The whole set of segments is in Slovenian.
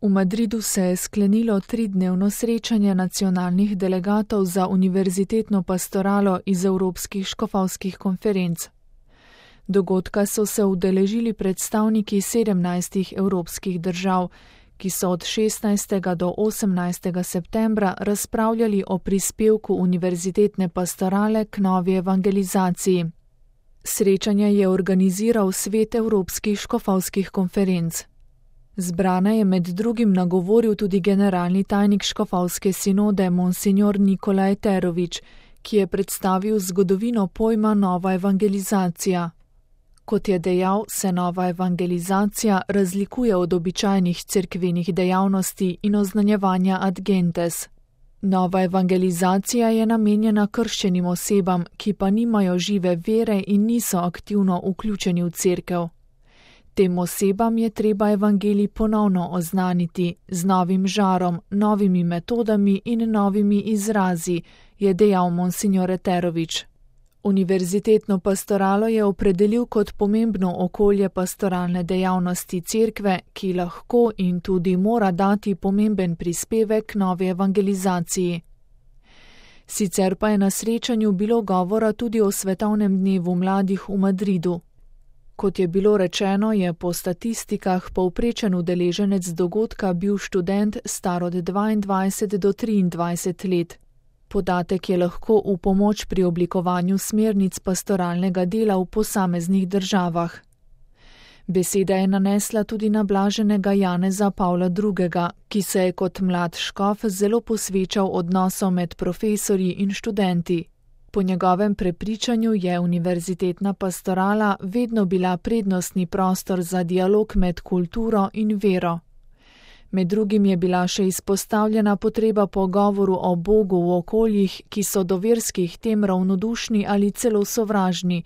V Madridu se je sklenilo 3-dnevno srečanje nacionalnih delegatov za univerzitetno pastoralo iz evropskih škofovskih konferenc. Dogodka so se udeležili predstavniki 17 evropskih držav, ki so od 16. do 18. septembra razpravljali o prispevku univerzitetne pastorale k novi evangelizaciji. Srečanje je organiziral Svet evropskih škofovskih konferenc. Zbrane je med drugim nagovoril tudi generalni tajnik škofovske sinode monsignor Nikola Eterović, ki je predstavil zgodovino pojma nova evangelizacija. Kot je dejal, se nova evangelizacija razlikuje od običajnih cerkvenih dejavnosti in oznanjevanja ad gentes. Nova evangelizacija je namenjena krščenim osebam, ki pa nimajo žive vere in niso aktivno vključeni v cerkev. Tem osebam je treba evangelij ponovno oznaniti z novim žarom, novimi metodami in novimi izrazi, je dejal monsignor Eterović. Univerzitetno pastoralo je opredelil kot pomembno okolje pastoralne dejavnosti cerkve, ki lahko in tudi mora dati pomemben prispevek novi evangelizaciji. Sicer pa je na srečanju bilo govora tudi o svetovnem dnevu mladih v Madridu. Kot je bilo rečeno, je po statistikah povprečen udeleženec dogodka bil študent star od 22 do 23 let. Podatek je lahko v pomoč pri oblikovanju smernic pastoralnega dela v posameznih državah. Beseda je nanesla tudi na blaženega Janeza Pavla II., ki se je kot mlad škof zelo posvečal odnosom med profesorji in študenti. Po njegovem prepričanju je univerzitetna pastorala vedno bila prednostni prostor za dialog med kulturo in vero. Med drugim je bila še izpostavljena potreba po govoru o Bogu v okoljih, ki so do verskih tem ravnodušni ali celo sovražni,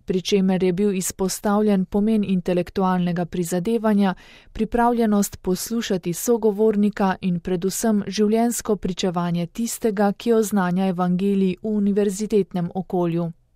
pri čemer je bil izpostavljen pomen intelektualnega prizadevanja, pripravljenost poslušati sogovornika in predvsem življenjsko pričevanje tistega, ki oznanja evangelij v univerzitetnem okolju.